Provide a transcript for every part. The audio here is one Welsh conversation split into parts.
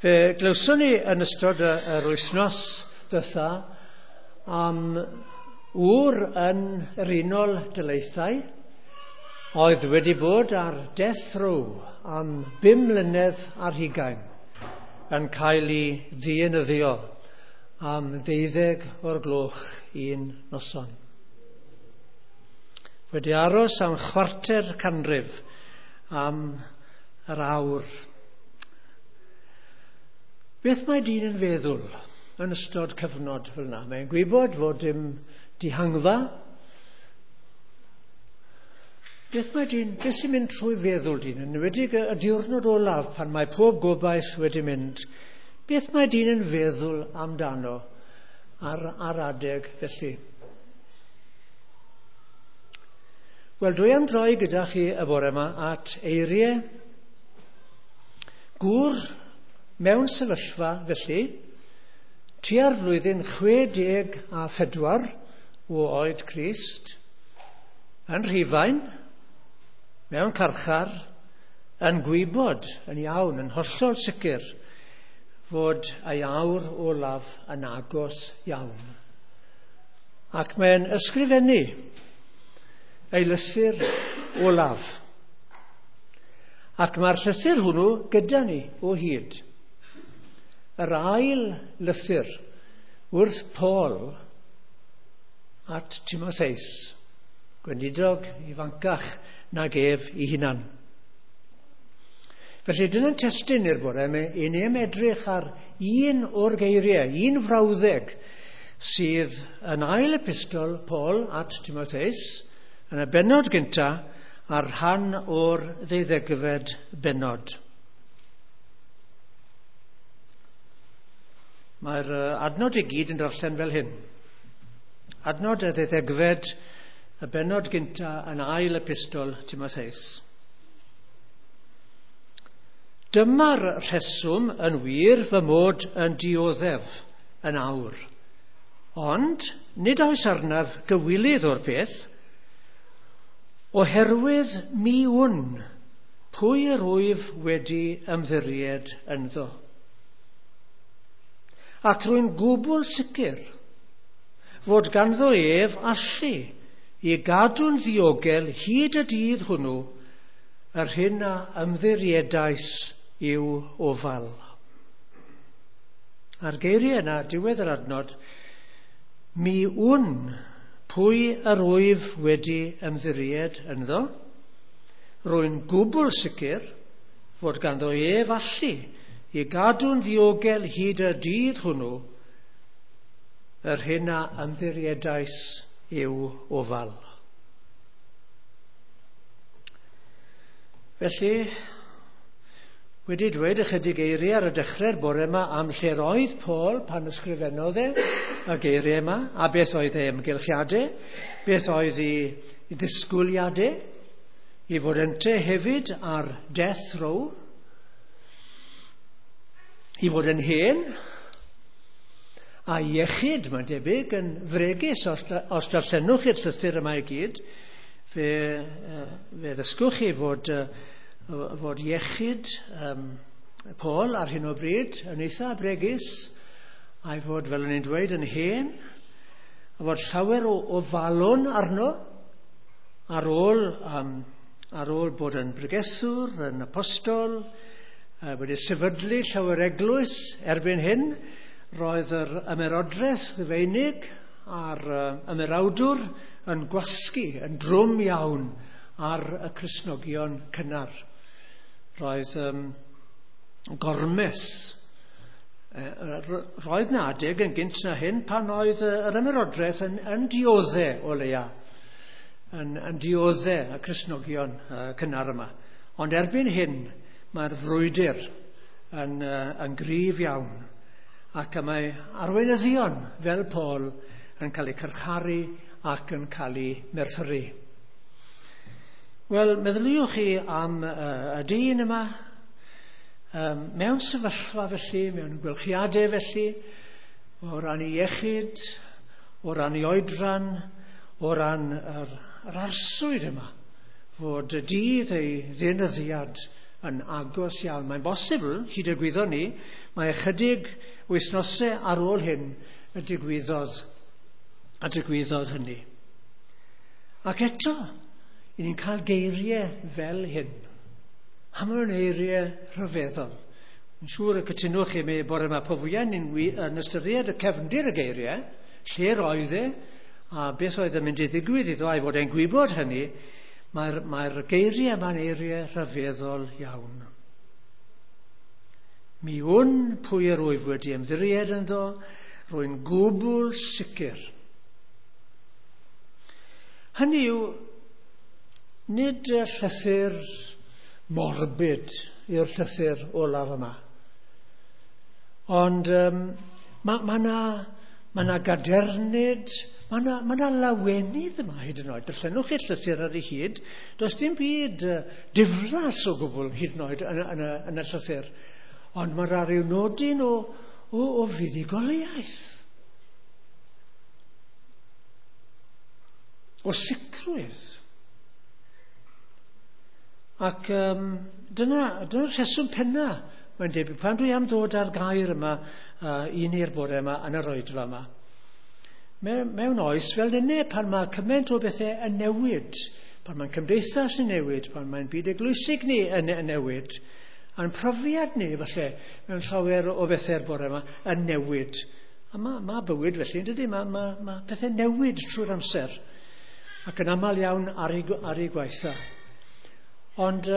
Fe glywson ni yn ystod yr wythnos ddiwetha am ŵr yn yr Unol Daleithiau oedd wedi bod ar death row am 5 mlynedd ar hugain yn cael ei ddienyddio am 12 o'r gloch un noson. Wedi aros am 250 canrif am yr awr. Beth mae dyn yn feddwl yn ystod cyfnod fel yna? Mae'n gwybod fod dim dihangfa. Beth mae dyn, beth sy'n mynd trwy feddwl dyn, yn enwedig y diwrnod olaf pan mae pob gobaith wedi mynd, beth mae dyn yn feddwl amdano ar adeg felly? Wel, dwi am droi gyda chi y bore yma at eiriau gŵr mewn sefyllfa felly, tua'r flwyddyn 64 o oed Crist, yn Rhufain, mewn carchar, yn gwybod yn iawn, yn hollol sicr, fod ei awr olaf yn agos iawn. Ac mae'n ysgrifennu ei lythyr olaf. Ac mae'r llythyr hwnnw gyda ni o hyd. Yr ail lythyr wrth Paul at Timotheus, gweinidog ifancach nag ef ei hunan. Felly dyna'n testun i'r bore yma, i ni am edrych ar un o'r geiriau, un frawddeg sydd yn ail epistol Paul at Timotheus, yn y bennod gynta a'r rhan o'r 12fed bennod. Mae'r adnod i gyd yn darllen fel hyn. Adnod y 12fed, y bennod gynta yn ail epistol Timotheus. Dyma'r rheswm yn wir fy mod yn dioddef yn awr. Ond nid oes arnaf gywilydd o'r peth, oherwydd mi wn pwy yr wyf wedi ymddiried ynddo. Ac rwy'n gwbl sicr fod ganddo ef allu i gadw'n ddiogel hyd y dydd hwnnw yr hyn a ymddiriedais i'w ofal. A'r geiriau yna, diwedd yr adnod, mi wn pwy yr wyf wedi ymddiried ynddo, rwy'n gwbl sicr fod ganddo ef allu i gadw'n ddiogel hyd y dydd hwnnw yr hyn a ymddiriedais i'w ofal. Felly, wedi dweud ychydig eiriau ar y dechrau'r bore yma am lle roedd Paul pan ysgrifennodd e y geiriau yma, a beth oedd ei ymgylchiadau, beth oedd ei ddisgwyliadau, i fod ynte hefyd ar death row, i fod yn hen, a iechyd, mae'n debyg, yn fregus, os darllenwch chi'r llythyr yma i gyd, fe ddysgwch chi fod iechyd Paul ar hyn o bryd yn eitha bregus, a'i fod, fel o'n i'n dweud, yn hen, a fod llawer o ofalon arno ar ôl bod yn bregethwr, yn apostol, wedi sefydlu llawer eglwys erbyn hyn. Roedd yr ymerodraeth Rufeinig a'r ymerawdwr yn gwasgu yn drwm iawn ar y Cristnogion cynnar. Roedd gormes. Roedd na adeg yn gynt na hyn pan oedd yr ymerodraeth yn diodde o leia, yn diodde y Cristnogion cynnar yma. Ond erbyn hyn mae'r frwydr yn gryf iawn, ac y mae arweinyddion fel Paul yn cael eu carcharu ac yn cael eu merthyru. Wel, meddyliwch chi am y dyn yma, mewn sefyllfa felly, mewn gwelchiadau felly, o ran ei iechyd, o ran ei oedran, o ran yr arswyd yma, fod y dydd ei ddeunyddiad yn agos iawn. Mae'n bosibl, hyd y gwyddon ni, mae ychydig wythnosau ar ôl hyn y digwyddodd hynny. Ac eto, i ni'n cael geiriau fel hyn. A maen nhw'n eiriau rhyfeddol. Yn siŵr y cytunwch chi mi bore yma, po fwyaf ni'n yn ystyried y cefndir y geiriau, lle roedd e, a beth oedd yn mynd i ddigwydd iddo, a'i fod e'n gwybod hynny, mae'r geiriau yma'n eiriau rhyfeddol iawn. Mi wn pwy yr wyf wedi ymddiried ynddo, rwy'n gwbl sicr. Hynny yw, nid y llythyr morbid yw'r llythyr olaf yma. Ond mae yna gadernid, mae yna lawenydd yma hyd yn oed. Darllenwch chi'r llythyr ar ei hyd, does dim byd diflas o gwbl hyd yn oed yn y llythyr. Ond mae'r ryw nodyn o fuddugoliaeth. O sicrwydd. Ac dyna'r rheswm penna, mae'n debyg, pan dwi am ddod ar gair yma i ni'r bore yma yn yr oedfa yma. Mewn oes fel nynne, pan mae cymaint o bethau yn newid, pan mae'n cymdeithas yn newid, pan mae'n byd eglwysig ni yn newid, a'n profiad ni, falle, mewn llawer o bethau'r bore yma, yn newid. A mae bywyd felly, yn dydy? Mae pethau newid trwy'r amser, ac yn aml iawn ar ei gwaetha. Ond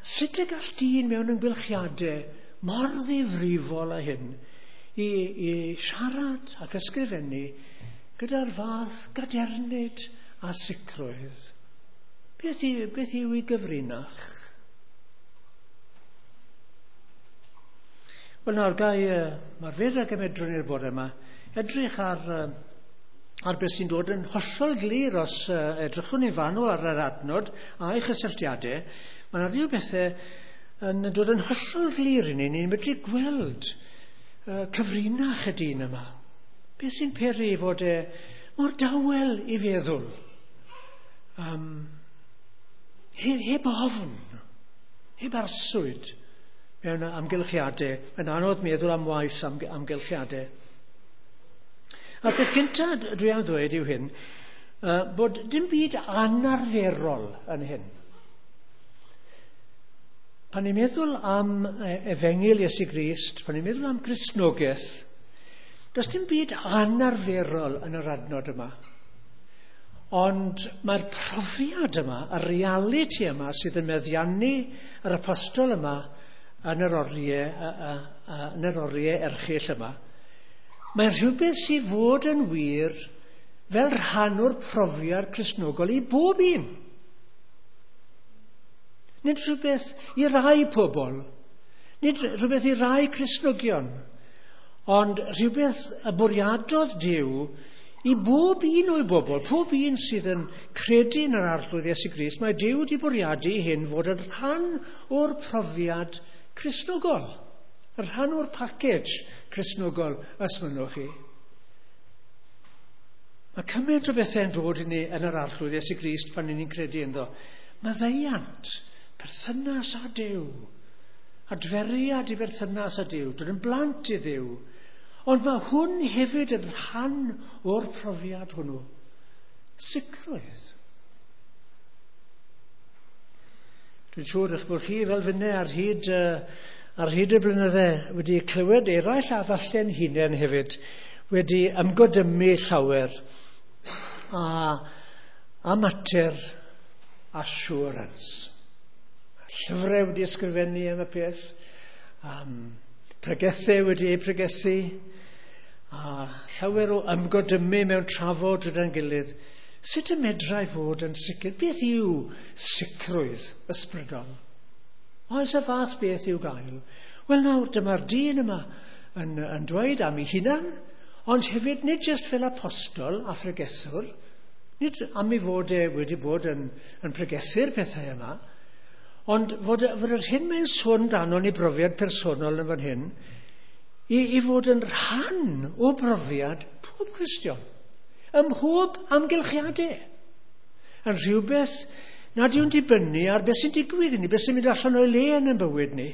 sut y gall dyn mewn ymgylchiadau mor ddifrifol â hyn i siarad ac ysgrifennu gyda'r fath gadernid a sicrwydd? Beth yw ei gyfrinach? Wel nawr, gai, mae'r fyr ag ymedrwn i'r bore yma, edrych ar beth sy'n dod yn hollol glir os edrychwn ni'n fanwl ar yr adnod a'i chysylltiadau. Mae yna rhyw bethau yn dod yn hollol glir i ni. Ni'n medru gweld cyfrinach y dyn yma. Beth sy'n peri fod e mor dawel i feddwl? Heb ofn, heb arswyd mewn amgylchiadau. Mae'n anodd meddwl am waith amgylchiadau. A'r peth cyntaf dwi am ddweud yw hyn, bod dim byd anarferol yn hyn. Pan ni'n meddwl am efengyl Iesu Grist, pan ni'n meddwl am Gristnogaeth, does dim byd anarferol yn yr adnod yma. Ond mae'r profiad yma, y realiti yma sydd yn meddiannu yr apostol yma yn yr oriau erchyll yma, mae'n rhywbeth sydd fod yn wir fel rhan o'r profiad Cristnogol i bob un. Nid rhywbeth i rai pobl, nid rhywbeth i rai Cristnogion, ond rhywbeth y bwriadodd Duw i bob un o'i bobl, pob un sydd yn credu yn yr Arglwydd Iesu Grist, mae Duw wedi bwriadu hyn fod yn rhan o'r profiad Cristnogol, yn rhan o'r package Cristnogol, os mynnwch chi. Mae cymaint o bethau'n dod i ni yn yr Arglwydd Iesu Grist pan ni'n credu ynddo. Maddeuant, perthynas â Duw, adferiad i berthynas â Duw, dod yn blant i Dduw. Ond mae hwn hefyd yn rhan o'r profiad hwnnw. Sicrwydd. Dwi'n siŵr eich bod chi fel finne ar hyd y blynydde wedi clywed eraill a falle'n hunain hefyd wedi ymgodymu llawer a mater assurance. Llyfrau wedi ysgrifennu am y peth, pregethau wedi eu pregethu, a llawer o ymgodymu mewn trafod gyda'n gilydd. Sut y medrai fod yn sicr? Beth yw sicrwydd ysbrydol? Oes y fath beth i'w gael? Wel nawr, dyma'r dyn yma yn dweud am ei hunan, ond hefyd nid jyst fel apostol a phregethwr, nid am ei fod e wedi bod yn pregethu'r pethau yma, ond fod yr hyn mae'n sôn dan i brofiad personol yn fan hyn, i fod yn rhan o brofiad pob Cristion, ym mhob amgylchiadau, yn rhywbeth Nad yw'n dibynnu ar beth sy'n digwydd i ni, beth sy'n mynd allan o'i le yn ein bywyd ni,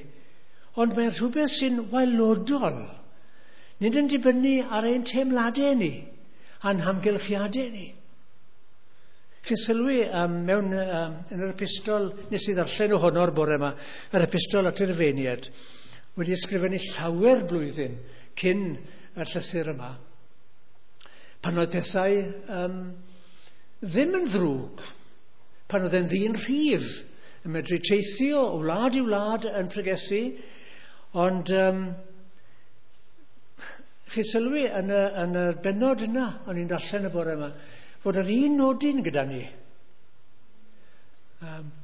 ond mae'n rhywbeth sy'n waelodol. Nid yn dibynnu ar ein teimladau ni, a'n hamgylchiadau ni. Chi'n sylwi mewn, yn yr epistol, nes i ddarllen ohono'r bore yma, yr epistol at yr Rufeiniaid, wedi ysgrifennu llawer blwyddyn cyn y llythyr yma, pan oedd pethau ddim yn ddrwg, pan oedd e'n ddyn rhydd, yn medru teithio o wlad i wlad yn pregethu, ond chi sylwi yn y bennod yna, o'n i'n darllen y bore yma, fod yr un nodyn gyda ni.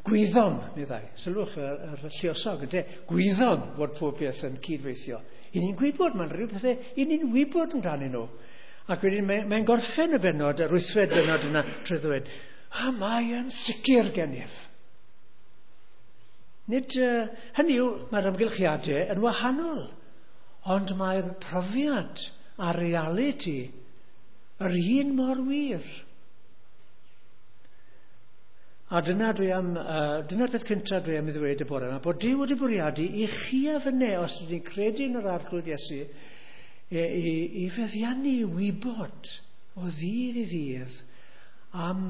Gwyddom, meddai. Sylwch yr lluosog, ynte? Gwyddom fod pob peth yn cydweithio. I ni'n gwybod, mae'n rhyw pethau, i ni'n wybod amdanyn nhw. Ac wedyn mae'n gorffen y bennod, yr wythfed bennod yna, trwy ddweud, a mae yn sicr gennyf. Nid, hynny yw, mae'r amgylchiadau yn wahanol, ond mae'r profiad a'r realiti yr un mor wir. A dyna dwi am, dyna'r peth cyntaf dwi am i ddweud y bore yma, bod Duw wedi bwriadu i chi a fynne, os ydyn ni'n credu yn yr Arglwydd Iesu, i feddiannu i wybod o ddydd i ddydd am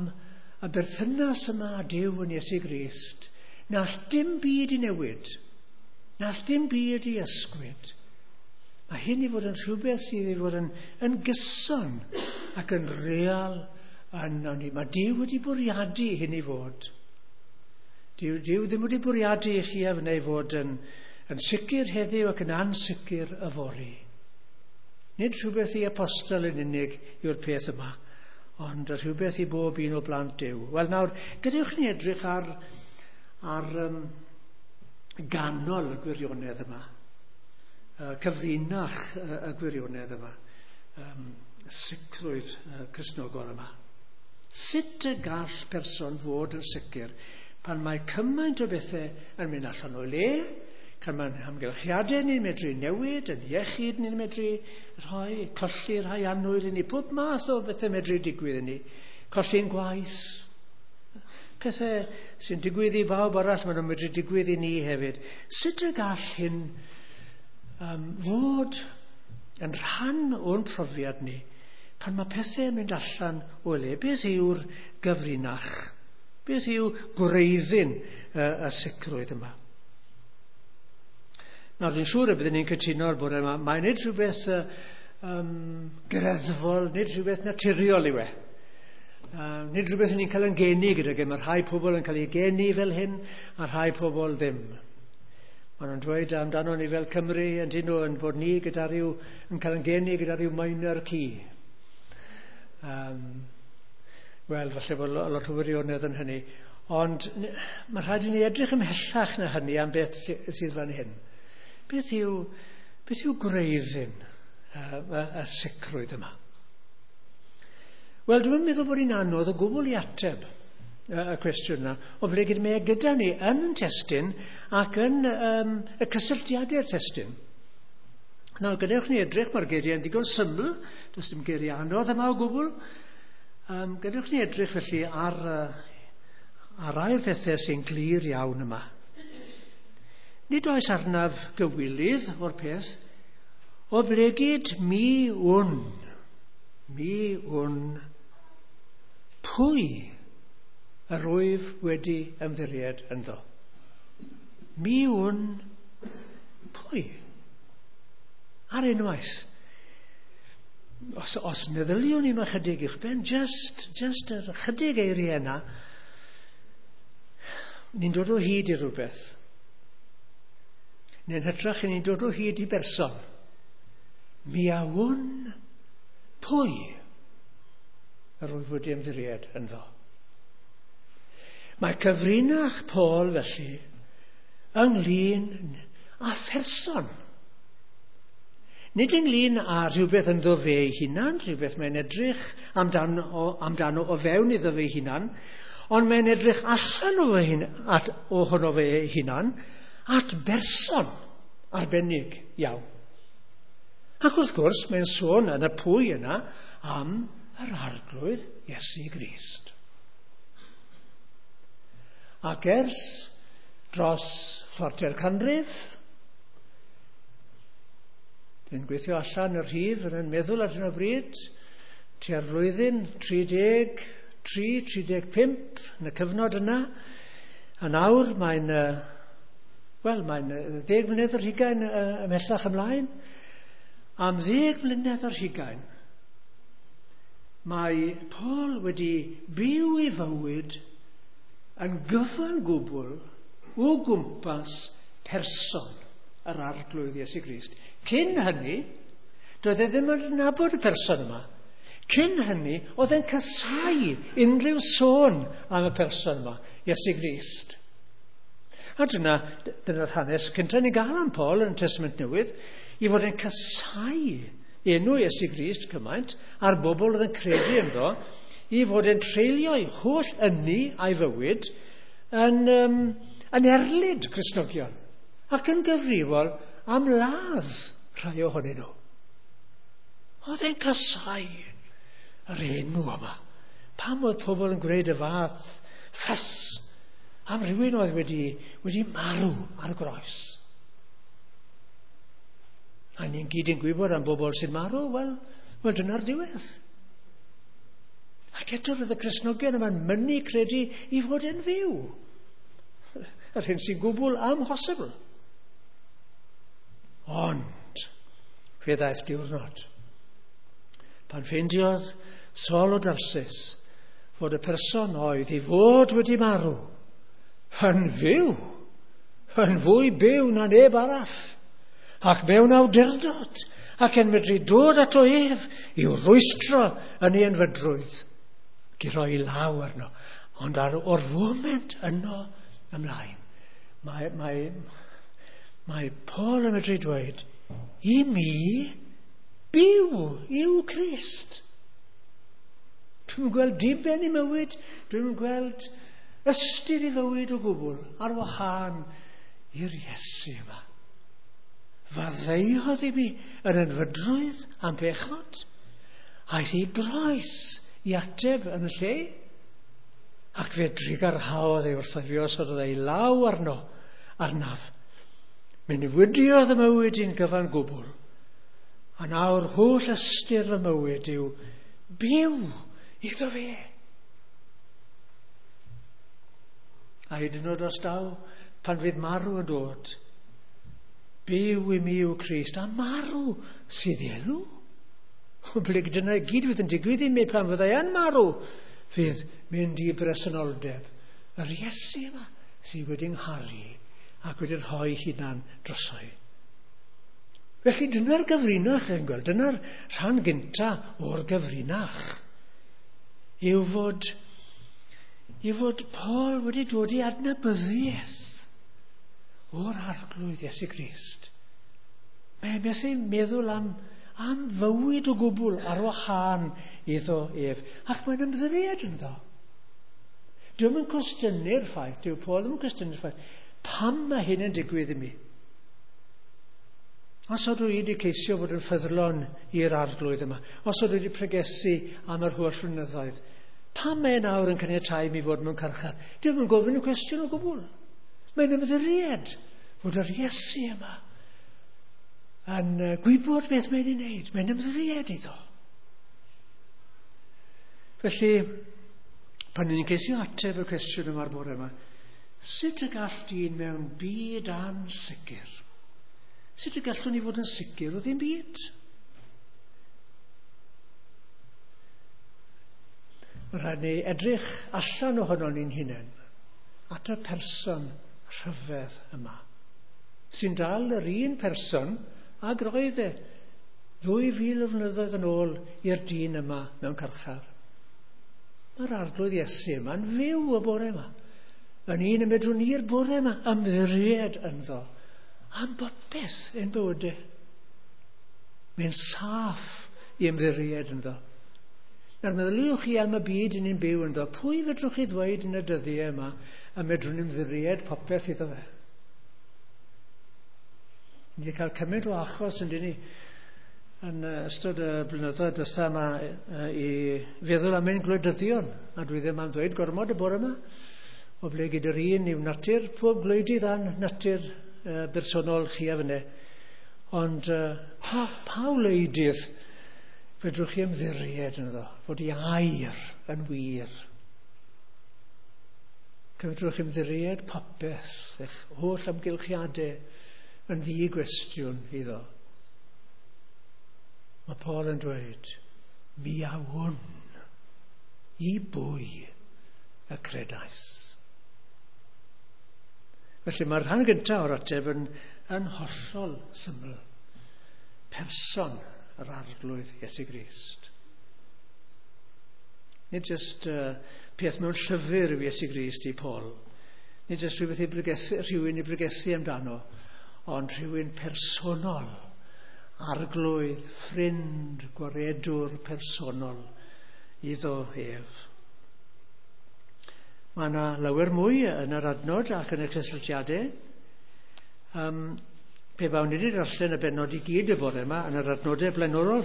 y berthynas yma â Duw yn Iesu Grist, na all dim byd i newid, na all dim byd i ysgwyd. Mae hyn i fod yn rhywbeth sydd i fod yn gyson ac yn real yno ni. Mae Duw wedi bwriadu hyn i fod. Duw ddim wedi bwriadu i chi a fynnu fod yn sicr heddiw ac yn ansicr yfory. Nid rhywbeth i apostol yn unig yw'r peth yma, ond rhywbeth i bob un o blant Duw. Wel nawr, gadewch ni edrych ar ganol y gwirionedd yma, cyfrinach y gwirionedd yma, sicrwydd Cristnogol yma. Sut y gall person fod yn sicr pan mae cymaint o bethau yn mynd allan o'i le, pan mae'n amgylchiadau ni'n medru newid, yn iechyd ni'n medru rhoi, colli rhai annwyl i ni, pob math o bethau medru digwydd i ni, colli'n gwaith, pethau sy'n digwydd i bawb arall, maen nhw'n medru digwydd i ni hefyd. Sut y gall hyn fod yn rhan o'n profiad ni pan mae pethau yn mynd allan o le? Beth yw'r gyfrinach? Beth yw gwreiddyn y sicrwydd yma? Nawr, dwi'n siŵr y byddwn ni'n cytuno'r bore yma, mae'n nid rhywbeth greddfol, nid rhywbeth naturiol yw e. Nid rhywbeth ni'n cael yn geni gydag e. Mae rhai pobl yn cael eu geni fel hyn, a rhai pobl ddim. Maen nhw'n dweud amdano ni fel Cymru, yn dyn nhw, yn bod ni gyda rhyw, yn cael yn geni gyda rhyw minor key. Wel, falle bod lot o wirionedd yn hynny. Ond mae rhaid i ni edrych ymhellach na hynny am beth sydd fan hyn. Beth yw gwreiddyn y sicrwydd yma? Wel, dwi'n meddwl bod hi'n anodd o gwbl i ateb y cwestiwn yna, oblegid mae e gyda ni yn y testun ac yn y cysylltiadau'r testun. Nawr, gadewch ni edrych, mae'r geiriau yn digon syml, does dim geiriau anodd yma o gwbl. Gadewch ni edrych felly ar rai o'r pethau sy'n glir iawn yma. Nid oes arnaf gywilydd o'r peth, oblegid mi wn pwy yr wyf wedi ymddiried ynddo. Mi wn pwy. Ar unwaith. Os meddyliwn ni yma chydig i'ch ben, just yr chydig eiriau yna, ni'n dod o hyd i rhywbeth. Neu'n hytrach, ni'n dod o hyd i berson. Mi a wn pwy yr wyf wedi ymddiried ynddo. Mae cyfrinach Paul felly ynglyn â pherson. Nid ynglyn â rhywbeth ynddo fe ei hunan, rhywbeth mae'n edrych amdano o fewn iddo fe ei hunan, ond mae'n edrych allan ohono fe ei hunan at berson arbennig iawn. Ac wrth gwrs, mae'n sôn yn y pwy yna am yr Arglwydd Iesu Grist. Ac ers dros chwarter canrif, dwi'n gweithio allan y rhif yn meddwl ar hyn o bryd, tua'r flwyddyn 33, 35 yn y cyfnod yna, a nawr mae'n, wel, mae'n 10 mlynedd ar hugain ymhellach ymlaen. Am 10 mlynedd ar hugain, mae Paul wedi byw ei fywyd yn gyfan gwbl o gwmpas person yr Arglwydd Iesu Grist. Cyn hynny, doedd e ddim yn nabod y person yma. Cyn hynny, oedd e'n casáu unrhyw sôn am y person yma, Iesu Grist. A dyna'r hanes cyntaf ni'n gael am Paul yn y Testament Newydd, i fod yn casáu enw Iesu Grist cymaint, a'r bobl oedd yn credu ynddo, i fod yn treulio'i holl ynni a'i fywyd yn erlid Cristnogion, ac yn gyfrifol am ladd rhai ohonyn nhw. Oedd e'n casáu yr enw yma. Pam oedd pobl yn gwneud y fath ffys am rhywun oedd wedi marw ar y groes? A ni'n gyd yn gwybod am bobl sy'n marw, wel dyna'r diwedd. Ac eto roedd y Cristnogion yma'n mynnu credu i fod yn fyw. Yr hyn sy'n gwbl amhosibl. Ond fe ddaeth diwrnod pan ffeindiodd Saul o Darsus fod y person oedd i fod wedi marw yn fyw, yn fwy byw na neb arall, ac mewn awdurdod, ac yn medru dod ato ef i'w rwystro yn ei ynfydrwydd, ac i roi law arno. Ond o'r foment yno ymlaen, mae Paul yn medru dweud, i mi byw yw Crist. Dwi'n gweld diben i mywyd, dwi'n gweld ystyr i fywyd o gwbl ar wahân i'r Iesu yma. Faddeuodd i mi yn ynfydrwydd am bechod, aeth i groes i ateb yn y lle, ac fe drugarhaodd ei wrtho fi os oedd ei law arnaf. Mi newidiodd y mywyd i'n gyfan gwbl, a nawr holl ystyr y mywyd yw byw iddo fe. A hyd yn oed os daw, pan fydd marw yn dod, byw i mi yw Crist, a marw sydd elw. Oblyg dyna i gyd fydd yn digwydd i mi pan fyddai yn marw, fydd mynd i bresenoldeb yr Iesu yma sydd wedi ngharu ac wedi rhoi hunan droso'i. Felly dyna'r gyfrinach yn gweld, dyna'r rhan gynta o'r gyfrinach, yw fod Paul wedi dod i adnabyddiaeth o'r Arglwydd Iesu Grist. Mae methu meddwl am fywyd o gwbl ar wahân iddo ef, ac mae'n ymddiried ynddo. Dwi'm yn cwestiynu'r ffaith, dyw Paul ddim yn cwestiynu'r ffaith, pam mae hyn yn digwydd i mi? Os ydw i wedi ceisio bod yn ffyddlon i'r Arglwydd yma, os ydw i wedi pregethu am yr holl flynyddoedd, pam mae nawr yn caniatáu mi fod mewn carchar? Dwi'm yn gofyn y cwestiwn o gwbl. Mae'n ymddiried fod yr Iesu yma yn gwybod beth mae'n ei wneud. Mae'n ymddiried iddo. Felly, pan ni'n ceisio ateb y cwestiwn yma'r bore yma, sut y gall dyn mewn byd ansicr? Sut y gallwn ni fod yn sicr o ddim byd? Mae rhaid ni edrych allan ohono ni'n hunain at y person rhyfedd yma, sy'n dal yr un person ag roedd e 2000 o flynyddoedd yn ôl i'r dyn yma mewn carchar. Mae'r Arglwydd Iesu yma'n fyw y bore yma. Yn un y medrwn ni'r bore yma ymddiried ynddo am bopeth ein bywydau. Mae'n saff i ymddiried ynddo. Nawr meddyliwch chi am y byd yn ni'n byw ynddo. Pwy fedrwch chi ddweud yn y dyddiau yma y medrwn ymddiried popeth iddo fe? Ni wedi cael cymaint o achos yn dyn ni yn ystod y blynyddoedd diwetha yma i feddwl am ein gwleidyddion, a dwi ddim am ddweud gormod y bore yma, Oblegid yr un yw natur pob gwleidydd a'n natur bersonol chi a fyne. Ond pa wleidydd fedrwch chi ymddiried ynddo, fod ei air yn wir? Fedrwch chi ymddiried popeth, eich holl amgylchiadau yn ddi-gwestiwn iddo. Mae Paul yn dweud, mi a wn i bwy y credais. Felly mae'r rhan gyntaf o'r ateb yn hollol syml. Person yr Arglwydd Iesu Grist. Nid jyst peth mewn llyfr yw Iesu Grist i Paul. Nid jyst rhywbeth i bregethu, rhywun i bregethu amdano, ond rhywun personol, arglwydd, ffrind, gwaredwr personol iddo ef. Mae yna lawer mwy yn yr adnod ac yn y cysylltiadau. Pe bawn ni wedi darllen y bennod i gyd y bore yma yn yr adnodau blaenorol,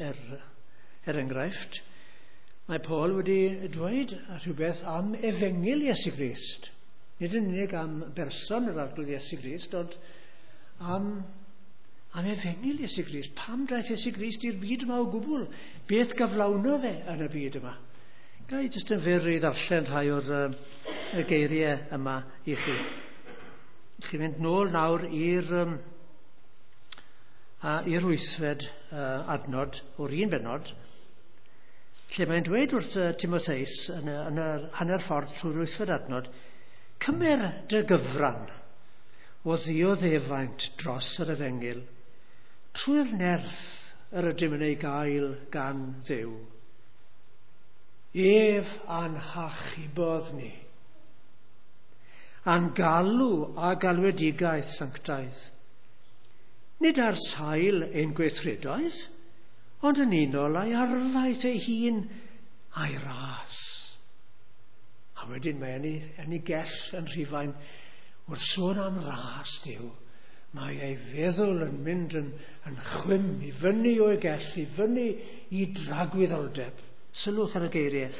er enghraifft, mae Paul wedi dweud rhywbeth am efengyl Iesu Grist. Nid yn unig am berson yr Arglwydd Iesu Grist, ond am efengyl Iesu Grist. Pam daeth Iesu Grist i'r byd yma o gwbl? Beth gyflawnodd e yn y byd yma? Ga i jyst yn fyr i ddarllen rhai o'r y geiriau yma i chi. Chi'n mynd nôl nawr i'r wythfed adnod o'r un bennod, lle mae'n dweud wrth Timotheus yn yr hanner ffordd trwy'r wythfed adnod, cymer dy gyfran o ddioddefaint dros yr efengyl trwy'r nerth yr ydym yn ei gael gan Dduw. Ef a'n hachubodd ni, a'n galw a galwedigaeth sanctaidd. Nid ar sail ein gweithredoedd, ond yn unol â'i arfaeth ei hun a'i ras. A wedyn mae yn ei gell yn Rhufain, wrth sôn am ras Duw, mae ei feddwl yn mynd yn chwim i fyny o'i gell, i fyny i dragwyddoldeb. Sylwch ar y geiriau.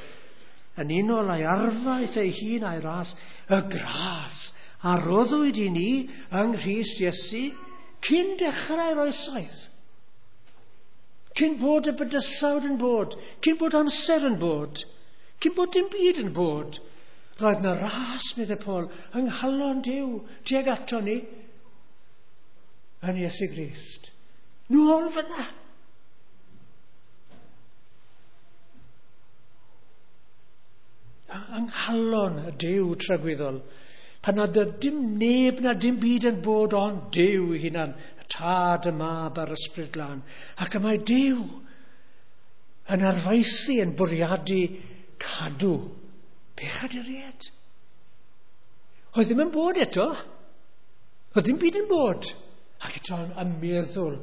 Yn unol â'i arfaeth ei hun a'i ras, y gras a roddwyd i ni yng Nghrist Iesu cyn dechrau'r oesoedd. Cyn bod y bydysawd yn bod, cyn bod amser yn bod, cyn bod dim byd yn bod, roedd na ras, meddai Paul, yng nghalon Duw tuag ato ni yn Iesu Grist. Nôl fyna. Yng nghalon y Duw tragwyddol, pan oedd dim neb na dim byd yn bod ond Duw ei hunan, y Tad, y Mab a'r Ysbryd Glân. Ac y mae Duw yn arfaethu, yn bwriadu cadw pechaduriaid. Oedd ddim yn bod eto. Oedd ddim byd yn bod. Ac eto yn meddwl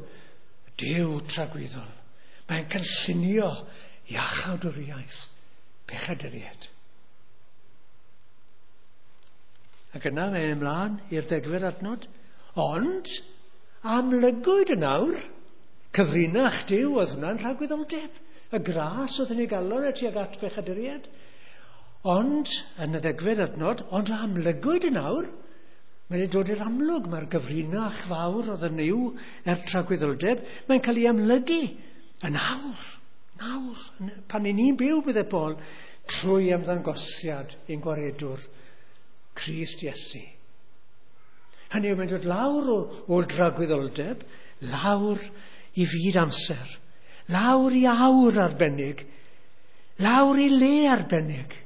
Duw tragwyddol. Mae'n cynllunio iachawdwriaeth pechaduriaid. Ac yna mae'n ymlaen i'r degfed adnod. Ond amlygwyd yn awr, cyfrinach Duw oedd hwnna'n rhagwyddoldeb. Y gras oedd yn ei galon tuag at bechaduriaid. Ond, yn y ddegfed adnod, ond amlygwyd yn awr, mae'n dod i'r amlwg, mae'r gyfrinach fawr oedd yn yw er tragwyddoldeb, mae'n cael ei amlygu yn awr, nawr, pan i ni'n byw, bydde Paul, trwy ymddangosiad ein gwaredwr, Crist Iesu. Hynny yw, mae'n dod lawr o dragwyddoldeb, lawr i fyd amser, lawr i awr arbennig, lawr i le arbennig.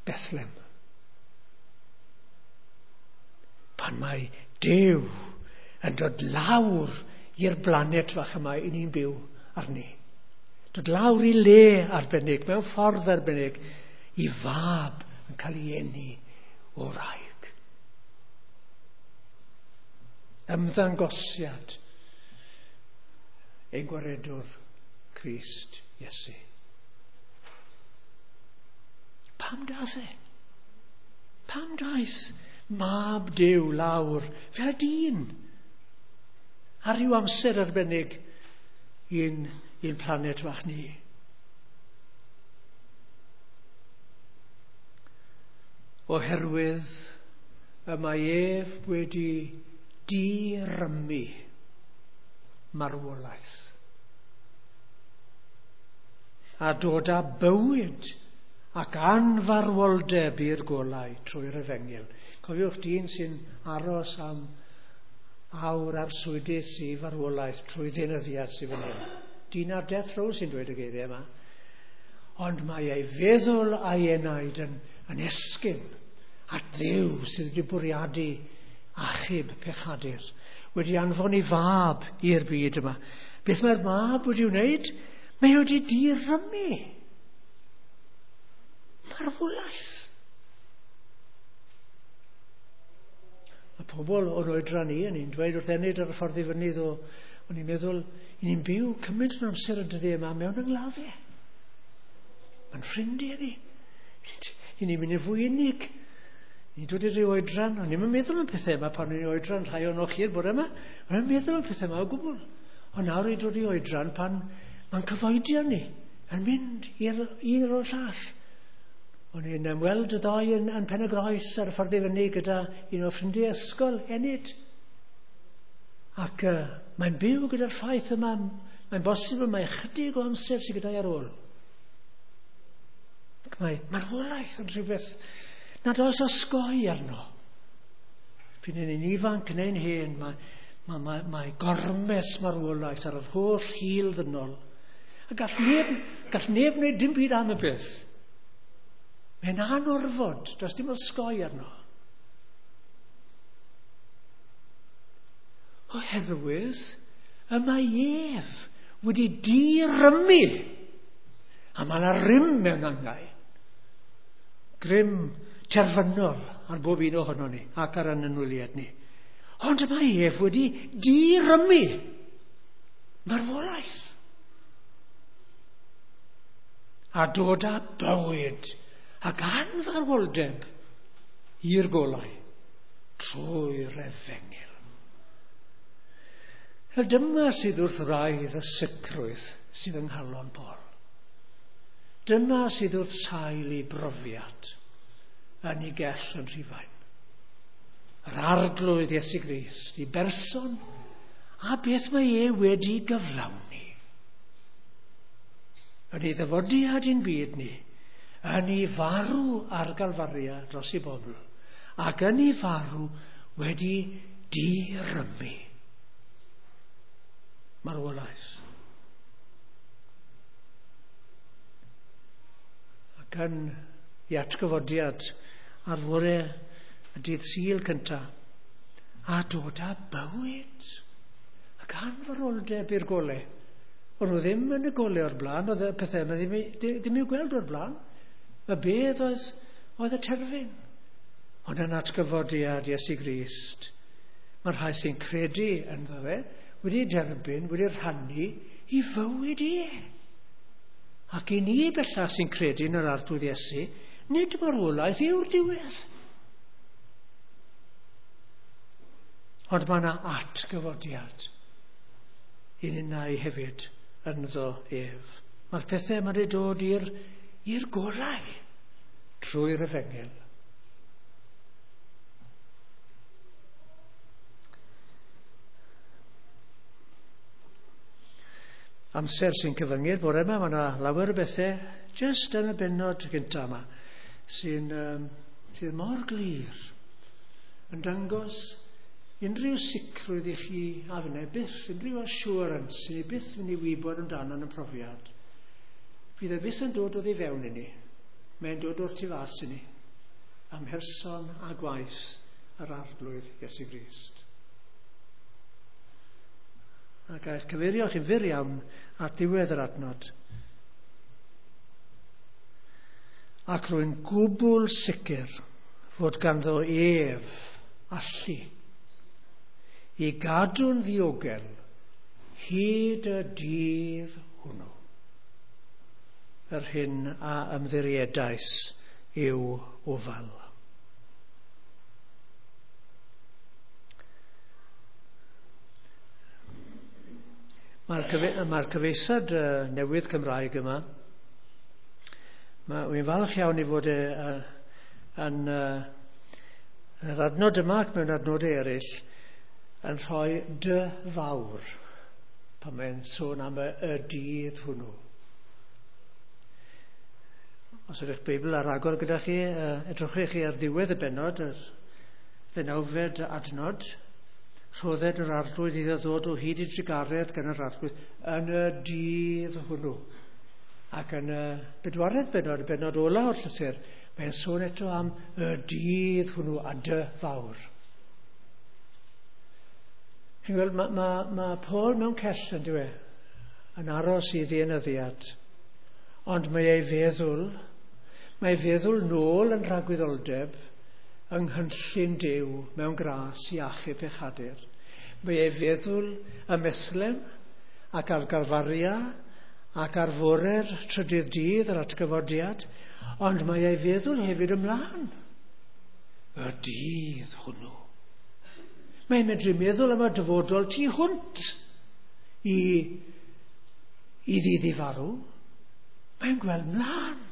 Bethlehem. Pan mae Duw yn dod lawr i'r blaned fach yma i ni'n byw arni. Dod lawr i le arbennig, mewn ffordd arbennig, i fab yn cael ei eni o wraig. Ymddangosiad ein gwaredwr Crist Iesu. Pam daeth e? Pam daeth mab Duw lawr fel dyn ar ryw amser arbennig i'n planet fach ni? Oherwydd y mae ef wedi dirymu marwolaeth a dod â bywyd ac anfarwoldeb i'r golau trwy'r efengyl. Cofiwch dyn sy'n aros am awr arswydus i farwolaeth trwy ddeunyddiad sydd fan hyn. Dyn ar death row sy'n dweud y geiriau yma. Ond mae ei feddwl a'i enaid yn esgyn at Dduw sydd wedi bwriadu achub pechadur, wedi anfon ei fab i'r byd yma. Beth mae'r mab wedi wneud? Mae wedi dirymu marwolaeth. Mae pobl o'n oedran ni, o'n i'n dweud wrth Enid ar y ffordd i fyny ddo, o'n i'n meddwl, i ni'n byw cymaint o'n amser y dyddiau yma mewn angladdau. Mae'n ffrindiau ni. I ni'n mynd yn fwy unig. Ni'n dod i ryw oedran, o'n i'n meddwl am pethau yma pan o'n i'n oedran, rhai o'n chi'r bore yma, o'n i'n meddwl am pethau yma o gwbl. Ond nawr i'n dod i oedran pan mae'n cyfoedion ni yn mynd i'r un o'r llall. O'n i'n ymweld y ddoi yn Pen y Groes ar y ffordd i fyny gyda un o ffrindiau ysgol, Enid. Ac mae'n byw gyda'r ffaith yma, mae'n bosibl mae ychydig o amser sydd gyda'i ar ôl. Ac mae marwolaeth yn rhywbeth nad oes osgoi arno. P'un yn ifanc neu'n hen, mae gormes marwolaeth ar yr holl hil ddynol. A gall neb wneud dim byd am y peth. Mae'n anorfod, does dim osgoi arno. Oherwydd y mae ef wedi dirymu. A mae yna rym mewn angau. Grym terfynol ar bob un ohono ni ac ar ein anwyliaid ni. Ond y mae ef wedi dirymu marwolaeth. A dod â bywyd ac anfarwoldeb i'r golau trwy'r efengyl. Wel, dyma sydd wrth wraidd y sicrwydd sydd yng nghalon Paul. Dyma sydd wrth sail ei brofiad yn ei gell yn Rhufain. Yr Arglwydd Iesu Grist, ei berson, a beth mae e wedi gyflawni. Yn ei ddyfodiad i'n byd ni, yn ei farw ar Galfaria dros ei bobl, ac yn ei farw wedi dirymu marwolaeth. Ac yn ei atgyfodiad ar fore y dydd Sul cyntaf, a dod â bywyd ac anfarwoldeb i'r golau. O'n nhw ddim yn y golau o'r blaen, oedd y pethau yma ddim i'w gweld o'r blaen. Y bedd oedd y terfyn. Ond yn atgyfodiad Iesu Grist, mae'r rhai sy'n credu ynddo fe wedi derbyn, wedi rhannu i fywyd e. Ac i ni bellach sy'n credu yn yr Arglwydd Iesu, nid marwolaeth yw'r diwedd. Ond mae yna atgyfodiad i ninnau hefyd ynddo ef. Mae'r pethau yma wedi dod i'r golau trwy'r efengyl. Amser sy'n cyfyngu'r bore yma, mae yna lawer o bethau jyst yn y bennod gyntaf yma sydd mor glir yn dangos unrhyw sicrwydd i chi a fynnau byth, unrhyw assurance sydd byth mynd i wybod amdano yn y profiad. Fydd e byth yn dod oddi fewn i ni, mae'n dod o'r tu fas i ni, am herson a gwaith yr Arglwydd Iesu Grist. Ac eich cyfeirio chi'n fyr iawn at ddiwedd yr adnod. Ac rwy'n gwbl sicr fod ganddo ef allu i gadw'n ddiogel hyd y dydd hwnnw. Yr hyn a ymddiriedais i'w ofal. Mae'r cyfeithiad newydd Cymraeg yma, wy'n falch iawn i fod yn, yn yr adnod yma ac mewn adnodau eraill yn rhoi dy fawr pan mae'n sôn am y, y dydd hwnnw. Os ydych Beibl ar agor gyda chi, edrychwch chi ar ddiwedd y bennod, yr ddeunawfed adnod, rhodded yr arglwydd iddo ddod o hyd i drugaredd gan yr arglwydd yn y dydd hwnnw. Ac yn y bedwaredd bennod, y bennod ola o'r llythyr, mae'n sôn eto am y dydd hwnnw a dy fawr. Chi'n gweld, mae, ma, ma Paul mewn cell yn dyw e, yn aros i ddienyddiad. Ond mae ei feddwl, mae ei feddwl nôl yn rhagwyddoldeb yng nghynllun Duw mewn gras i achub pechadur. Mae ei feddwl ym Methlem ac ar Galfaria ac ar fore'r trydydd dydd yr atgyfodiad, ond mae ei feddwl hefyd ymlaen. Y dydd hwnnw. Mae'n medru meddwl am y dyfodol tu hwnt i, i ddydd i farw. Mae'n gweld mlaen.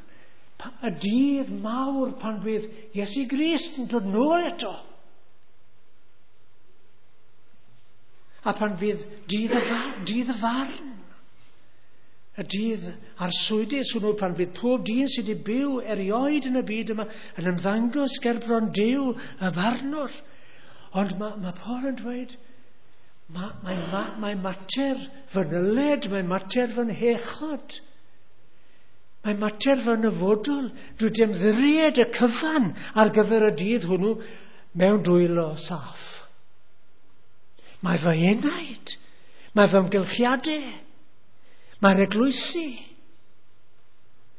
Y dydd mawr pan fydd Iesu Grist yn dod nôl eto. A pan fydd dydd y, dydd y farn. Y dydd arswydus hwnnw pan fydd pob dyn sydd wedi byw erioed yn y byd yma yn ymddangos gerbron Duw y farnwr. Ond mae, mae Paul yn dweud, mae, mae, mae, mae mater fy nyled, mae mater fy nhechod, mae mater fy nyfodol, dwi wedi ymddiried y cyfan ar gyfer y dydd hwnnw mewn dwylo saff. Mae fy enaid, mae fy ymgylchiadau, mae'r eglwysi,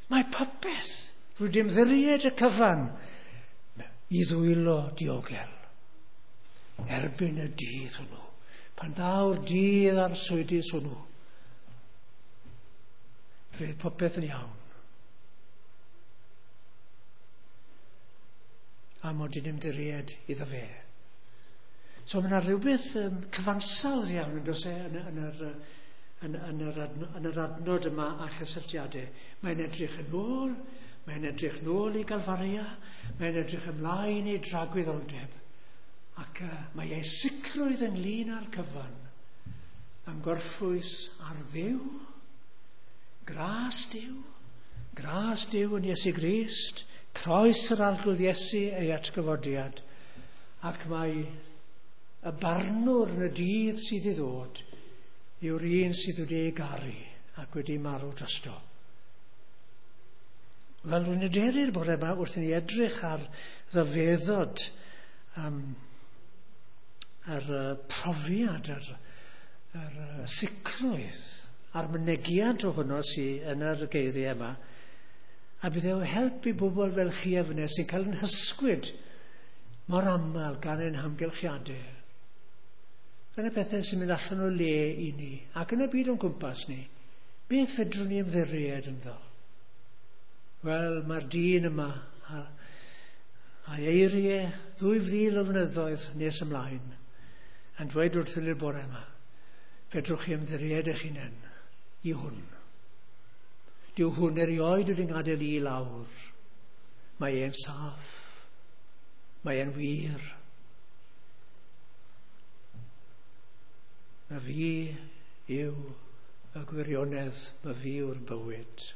mae popeth. Dwi wedi ymddiried y cyfan i ddwylo diogel erbyn y dydd hwnnw. Pan ddaw'r dydd arswydus hwnnw, fydd popeth yn iawn. A mod i'n ymddiried iddo fe. So mae yna rhywbeth cyfansawdd iawn yn does e, yn, yn, yr, yn, yn, yr adno, yn yr adnod yma a chysylltiadau. Mae'n edrych yn ôl, mae'n edrych nôl i Galfaria, mae'n edrych ymlaen i dragwyddoldeb. Ac mae ei sicrwydd ynglyn â'r cyfan yn gorffwys ar Dduw, gras Duw, gras Duw yn Iesu Grist, croes yr Arglwydd Iesu ei atgyfodiad, ac mae y barnwr yn y dydd sydd i ddod yw'r un sydd wedi ei garu ac wedi marw drosto. Wel, rwy'n hyderu'r bore yma wrth i ni edrych ar ryfeddod yr profiad, yr, yr sicrwydd a'r mynegiant ohono sydd yn yr geiriau yma. A bydd e o help i bobl fel chi a finne sy'n cael yn hysgwyd mor aml gan ein hamgylchiadau. Gan y pethau sy'n mynd allan o le i ni ac yn y byd o'n gwmpas ni, beth fedrwn ni ymddiried ynddo? Wel, mae'r dyn yma a'i eiriau 2000 o flynyddoedd nes ymlaen yn dweud wrthyn ni'r bore yma, fedrwch chi ymddiried eich hunain i hwn. Dyw hwn erioed wedi ngadael i lawr. Mae e'n saff. Mae e'n wir. Mae fi yw y gwirionedd, mae fi yw'r bywyd.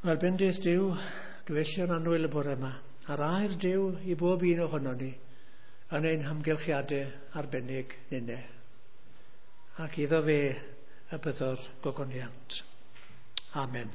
Wel, bendith Duw, gyfeillion annwyl y bore yma, a'r air Duw i bob un ohonon ni yn ein hamgylchiadau arbennig ninne. Ac iddo fe y byddo'r gogoniant. Amen.